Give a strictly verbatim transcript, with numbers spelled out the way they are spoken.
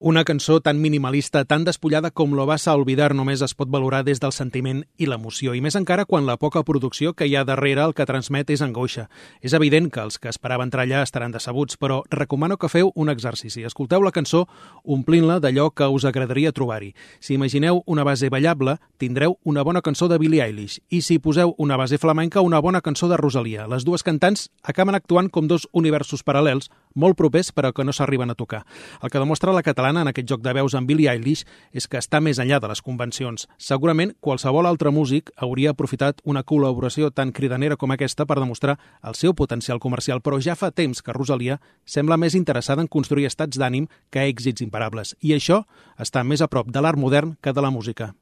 Una cançó tan minimalista, tan despullada com Lo vas a olvidar només es pot valorar des del sentiment i l'emoció, i més encara quan la poca producció que hi ha darrere el que transmet és angoixa. És evident que els que esperaven entrar allà estaran decebuts, però recomano que feu un exercici. Escolteu la cançó omplint-la d'allò que us agradaria trobar-hi. Si imagineu una base ballable, tindreu una bona cançó de Billie Eilish, i si poseu una base flamenca, una bona cançó de Rosalia. Les dues cantants acaben actuant com dos universos paral·lels, molt propers però que no s'arriben a tocar. El que demostra la catalana en aquest joc de veus amb Billie Eilish és que està més enllà de les convencions. Segurament qualsevol altre músic hauria aprofitat una col·laboració tan cridanera com aquesta per demostrar el seu potencial comercial, però ja fa temps que Rosalia sembla més interessada en construir estats d'ànim que èxits imparables. I això està més a prop de l'art modern que de la música.